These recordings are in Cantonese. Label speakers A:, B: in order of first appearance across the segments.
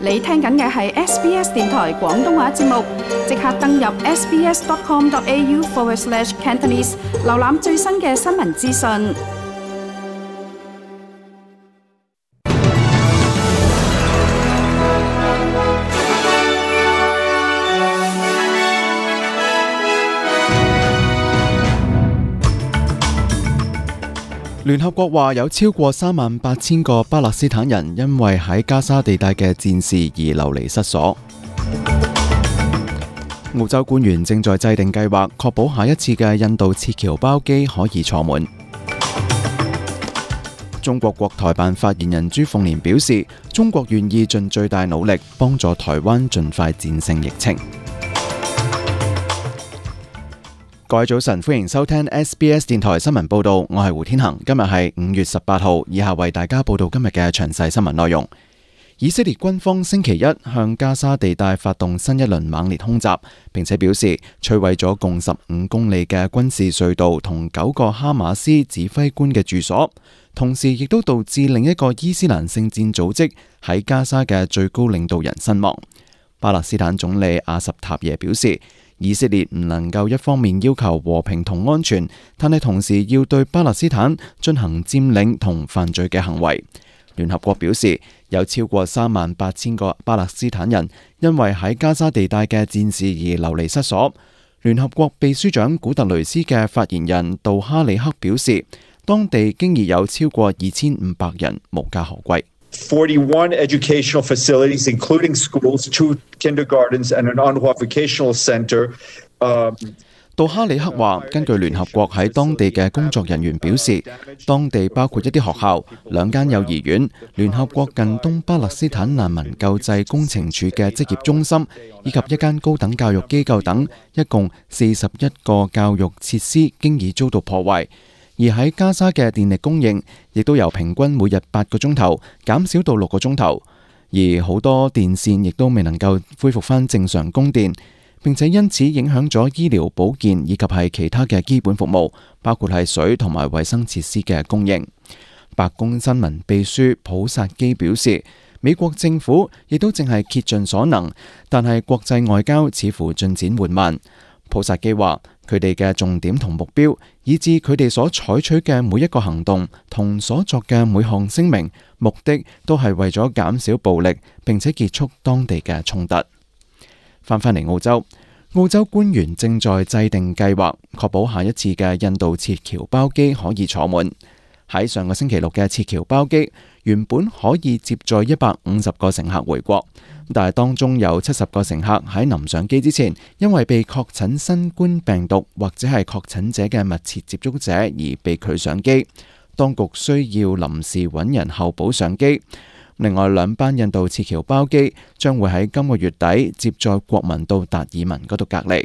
A: 你聽緊嘅係 SBS 電台廣東話節目，即刻登入 sbs.com.au/Cantonese 瀏覽最新嘅新聞資訊。
B: 聯合國話有超過38000個巴勒斯坦人因為喺加沙地帶嘅戰事而流離失所。澳洲官員正在制定計劃，確保下一次嘅印度撤僑包機可以坐滿。中國國台辦發言人朱鳳蓮表示，中國願意盡最大努力幫助台灣盡快戰勝疫情。各位早晨，歡迎收聽 SBS 電台新聞報道，我係胡天恒。今日係5月18號，以下為大家報道今日嘅詳細新聞內容。以色列軍方星期一向加沙地帶發動新一輪猛烈空襲，並且表示摧毀咗共15公里嘅軍事隧道同9個哈馬斯指揮官嘅住所，同時亦都導致另一個伊斯蘭聖戰組織喺加沙嘅最高領導人身亡。巴勒斯坦總理阿什塔耶表示，以色列唔能夠一方面要求和平同安全，但係同時要對巴勒斯坦進行佔領同犯罪嘅行為。聯合國表示，有超過38000個巴勒斯坦人因為喺加沙地帶嘅戰事而流離失所。聯合國秘書長古特雷斯嘅發言人杜哈里克表示，當地經已有超過2500人無家可歸。
C: 41 educational facilities, including schools, 2 kindergartens, and an UNRWA vocational center.
B: 杜哈里克話，根據聯合國喺當地嘅工作人員表示，當地包括一啲學校、2間幼兒園、聯合國近東巴勒斯坦難民救濟工程處嘅職業中心，以及一間高等教育機構等，一共41個教育設施經已遭到破壞。而喺加沙嘅電力供應亦都由平均每日8個鐘頭減少到6個鐘頭，而好多電線亦都未能夠恢復返正常供電，並且因此影響咗醫療保健以及係其他嘅基本服務，包括係水同埋衛生設施嘅供應。白宮新聞秘書普薩基表示，美國政府亦都正係竭盡所能，但係國際外交似乎進展緩慢。普薩基話，佢哋嘅重點同目標，以至佢哋所採取嘅每一個行動同所作嘅每項聲明，目的都係為咗減少暴力，並且結束當地嘅衝突。翻返嚟澳洲，澳洲官員正在制定計劃，確保下一次嘅印度撤僑包機可以坐滿。喺上個星期六嘅撤僑包機原本可以接載150個乘客回國，但係當中有70個乘客喺臨上機之前，因為被確診新冠病毒或者係確診者嘅密切接觸者而被拒上機，當局需要臨時揾人候補上機。另外2班印度撤僑包機將會喺今個月底接載國民到達爾文嗰度隔離。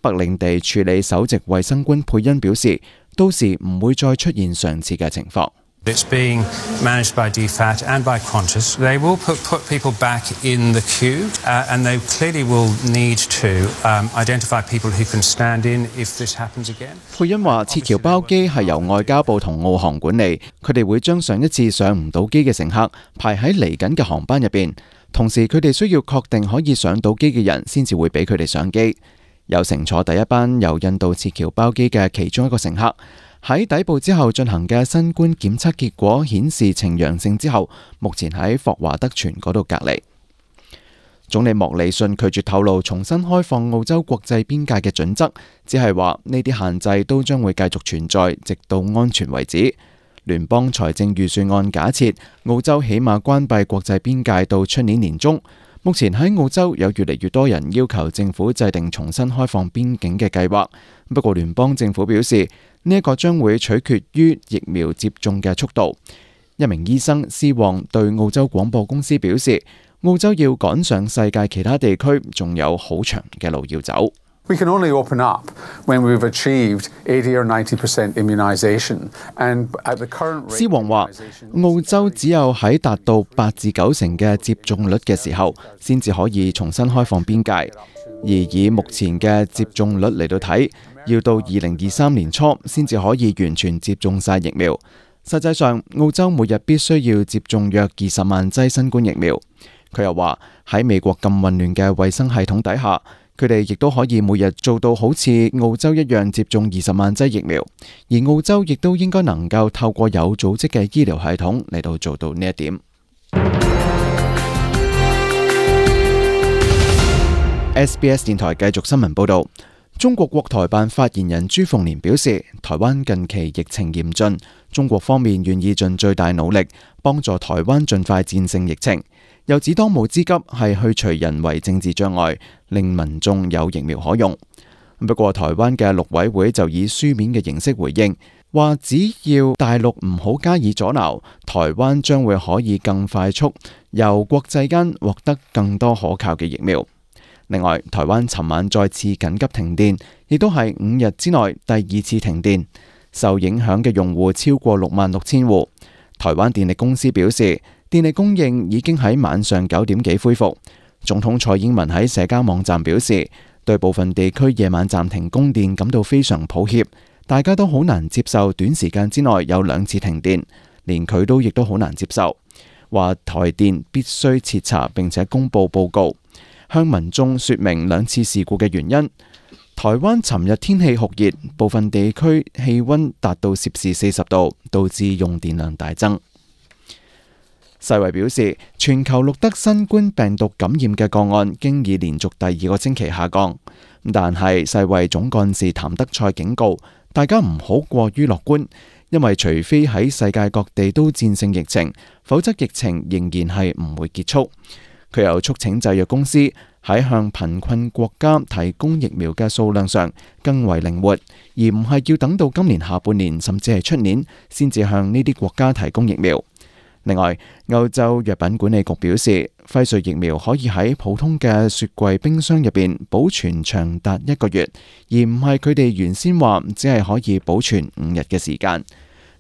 B: 北領地處理首席衛生官佩恩表示，到時唔會再出現上次嘅情況。
D: It's being managed by DFAT and by Qantas. They will put people back in the queue, and they clearly will need to identify people who can stand in if this happens again.
B: 佩恩話，撤僑包機係由外交部同澳航管理，佢哋會將上一次上唔到機嘅乘客排喺嚟緊嘅航班入邊，同時佢哋需要確定可以上到機嘅人先至會俾佢哋上機。有乘坐第一班由印度撤僑包機嘅其中一個乘客，喺抵埗之後進行嘅新冠檢測結果顯示呈陽性之後，目前喺霍華德泉嗰度隔離。總理莫里遜拒絕透露重新開放澳洲國際邊界嘅準則，只係話呢啲限制都將會繼續存在，直到安全為止。聯邦財政預算案假設澳洲起碼關閉國際邊界到出年年中。目前喺澳洲有越嚟越多人要求政府制定重新開放邊境嘅計劃，不過聯邦政府表示呢一個將會取決於疫苗接種嘅速度。一名醫生斯旺對澳洲廣播公司表示，澳洲要趕上世界其他地區，仲有好長嘅路要走。
E: We can only open up when we've achieved 80 or 90% immunization. And at the current rate,
B: 施王話，澳洲只有喺達到8至9成嘅接種率嘅時候，先至可以重新開放邊界。而以目前嘅接種率嚟到睇，要到2023年初先至可以完全接種晒疫苗。實際上，澳洲每日必須要接種約20萬劑新冠疫苗。佢又話喺美國咁混亂嘅衛生系統底下，佢哋亦都可以每日做到好似澳洲一樣接種20萬劑疫苗，而澳洲亦都應該能夠透過有組織嘅醫療系統嚟到做到呢一點。SBS 電台繼續新聞報導。中國國台辦發言人朱鳳蓮表示，台灣近期疫情嚴峻，中國方面願意盡最大努力幫助台灣盡快戰勝疫情。又指當務之急係去除人為政治障礙，令民眾有疫苗可用。不過台灣嘅陸委會就以書面嘅形式回應，話只要大陸唔好加以阻撓，台灣將會可以更快速由國際間獲得更多可靠嘅疫苗。另外，台灣尋晚再次緊急停電，亦都係5日之內第2次停電，受影響嘅用戶超過66,000戶。台灣電力公司表示，電力供應已經喺晚上9點幾恢復。總統蔡英文喺社交網站表示，對部分地區夜晚暫停供電感到非常抱歉，大家都好難接受短時間之內有2次停電，連佢都亦都好難接受，話台電必須徹查並且公佈報告，向民眾說明2次事故嘅原因。台灣尋日天氣酷熱，部分地區氣溫達到攝氏40度，導致用電量大增。世衛表示，全球錄得新冠病毒感染嘅個案經已連續第2個星期下降，但係世衛總幹事譚德塞警告大家唔好過於樂觀，因為除非喺世界各地都戰勝疫情，否則疫情仍然係唔會結束。佢又促請製藥公司喺向貧困國家提供疫苗嘅數量上更為靈活，而唔係要等到今年下半年甚至係出年先至向呢啲國家提供疫苗。另外，歐洲藥品管理局表示，輝瑞疫苗可以喺普通嘅雪櫃冰箱入邊保存長達1個月，而唔係佢哋原先話只係可以保存5日嘅時間。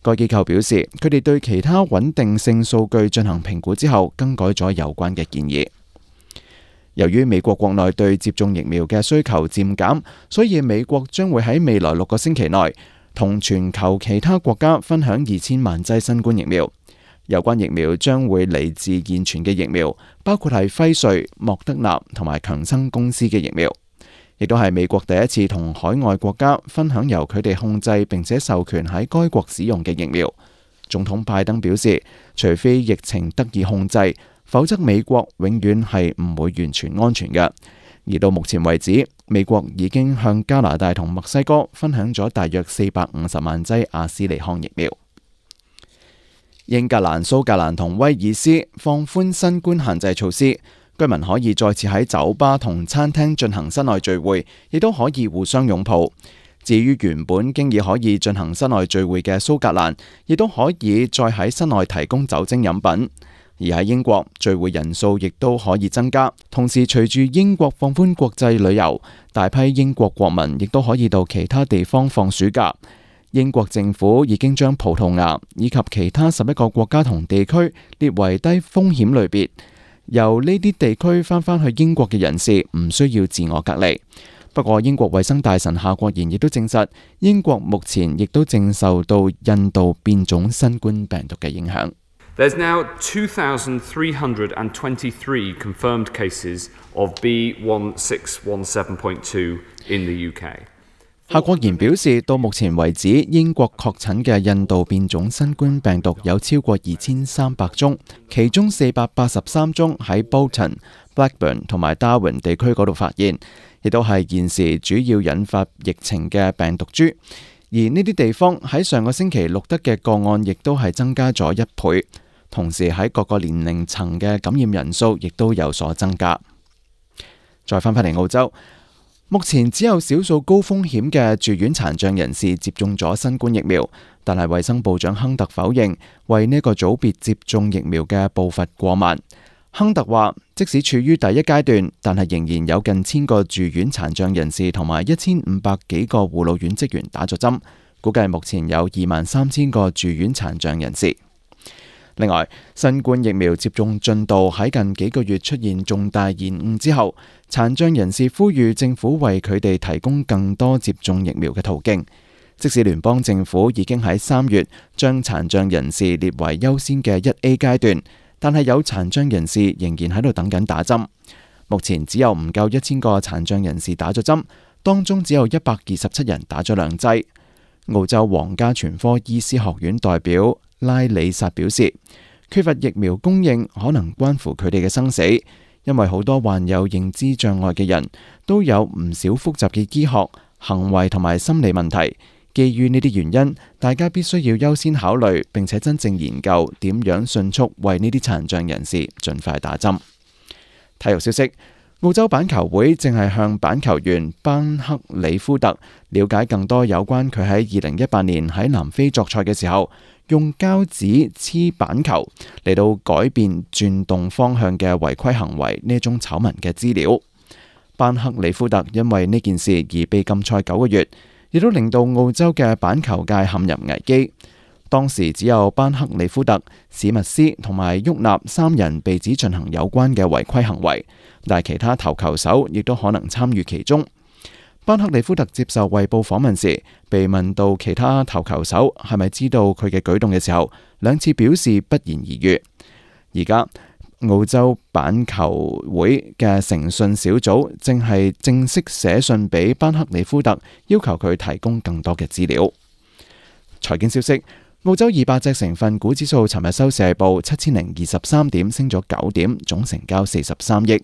B: 該機構表示，佢哋對其他穩定性數據進行評估之後，更改咗有關嘅建議。由於美國國內對接種疫苗嘅需求漸減，所以美國將會喺未來6個星期內同全球其他國家分享2000萬劑新冠疫苗。有關疫苗將會嚟自現存嘅疫苗，包括係輝瑞、莫德納同埋強生公司嘅疫苗，亦都係美國第一次同海外國家分享由佢哋控制並且授權喺該國使用嘅疫苗。總統拜登表示，除非疫情得以控制，否則美國永遠係唔會完全安全嘅。而到目前為止，美國已經向加拿大同墨西哥分享咗大約450萬劑阿斯利康疫苗。英格蘭、蘇格蘭同威爾斯放寬新冠限制措施，居民可以再次喺酒吧同餐廳進行室內聚會，亦都可以互相擁抱。至於原本經已可以進行室內聚會嘅蘇格蘭，亦都可以再喺室內提供酒精飲品。而喺英國，聚會人數亦都可以增加。同時，隨住英國放寬國際旅遊，大批英國國民亦都可以到其他地方放暑假。英國政府已經將葡萄牙以及其他11個國家同地區列為低風險類別，由呢啲地區返去英國嘅人士唔需要自我隔離。不過，英國衛生大臣夏國賢亦都證實，英國目前亦都正受到印度變種新冠病毒嘅影響。
F: There's now 2,323 confirmed cases of B1617.2 in the UK。
B: 夏國賢表示，到目前為止，英國確診嘅印度變種新冠病毒有超過2300宗，其中483宗喺 Bolton、Blackburn 同埋 Darwin 地區嗰度發現，亦都係現時主要引發疫情嘅病毒株。而呢啲地方喺上個星期錄得嘅個案，亦都係增加咗1倍。同時喺各個年齡層嘅感染人數亦都有所增加。再返嚟澳洲。目前只有少數高風險嘅住院殘障人士接種咗新冠疫苗，但係衛生部長亨特否認為呢個組別接種疫苗嘅步伐過慢。亨特話，即使處於第一階段，但係仍然有近1000個住院殘障人士同埋1500幾個護老院職員打咗針，估計目前有23000個住院殘障人士。另外，新冠疫苗接種進度喺近幾個月出現重大延誤之後，殘障人士呼籲政府為佢哋提供更多接種疫苗嘅途徑。即使聯邦政府已經喺3月將殘障人士列為優先嘅1A 階段，但係有殘障人士仍然喺度等緊打針。目前只有唔夠1000個殘障人士打咗針，當中只有127人打咗2劑。澳洲皇家全科醫師學院代表拉里薩表示，缺乏疫苗供應可能關乎佢哋嘅生死，因為好多患有認知障礙嘅人都有唔少複雜嘅醫學、行為同埋心理問題。基於呢啲原因，大家必須要優先考慮並且真正研究點樣迅速為呢啲殘障人士盡快打針。體育消息，澳洲板球會正係向板球員班克里夫特了解更多有關佢喺2018年喺南非作賽嘅時候用膠紙黐板球嚟到改變轉動方向嘅違規行為呢種醜聞嘅資料。班克里夫特因為呢件事而被禁賽9個月，亦都令到澳洲嘅板球界陷入危機。當時只有班克里夫特、史密斯同埋沃納3人被指進行有關嘅違規行為，但係其他投球手亦都可能參與其中。班克里夫特接受衛報訪問時，被問到其他投球手係咪知道佢嘅舉動嘅時候，2次表示不言而喻。而家澳洲板球會嘅誠信小組正係正式寫信俾班克里夫特，要求佢提供更多嘅資料。財經消息，澳洲200隻成分股指數尋日收市報7023點，升咗9點，總成交43億。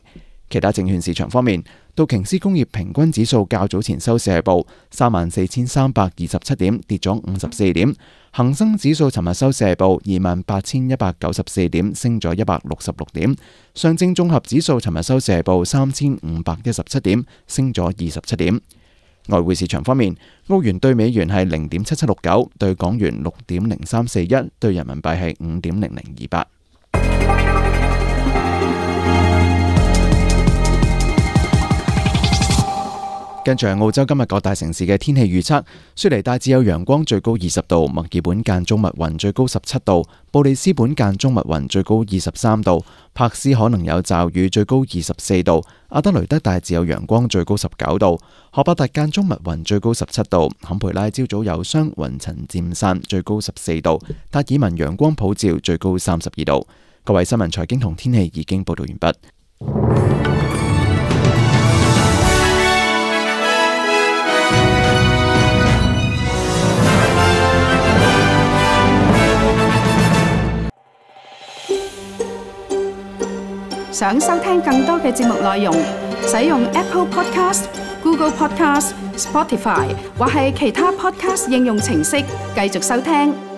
B: 其他證券市場方面，道瓊斯工業平均指數較早前收市報34327點，跌咗54點；恒生指數尋日收市報28194點，升咗166點；上證綜合指數尋日收市報3517點，升咗27點。外匯市場方面，澳元對美元係0.7769，對港元6.0341，對人民幣係5.0028。跟住係澳洲今日各大城市嘅天氣預測，雪梨大致有陽光，最高20度；墨爾本間中密雲，最高17度；布里斯本間中密雲，最高23度；柏斯可能有驟雨，最高24度；阿德雷德大致有陽光，最高19度；荷伯特間中密雲，最高17度；坎培拉朝早有霜，雲層漸散，最高14度；達爾文陽光普照，最高32度。各位新聞財經同天氣已經報道完畢。
A: 想收聽更多嘅節目內容，使用 Apple Podcast、Google Podcast、Spotify 或係其他 Podcast 應用程式繼續收聽。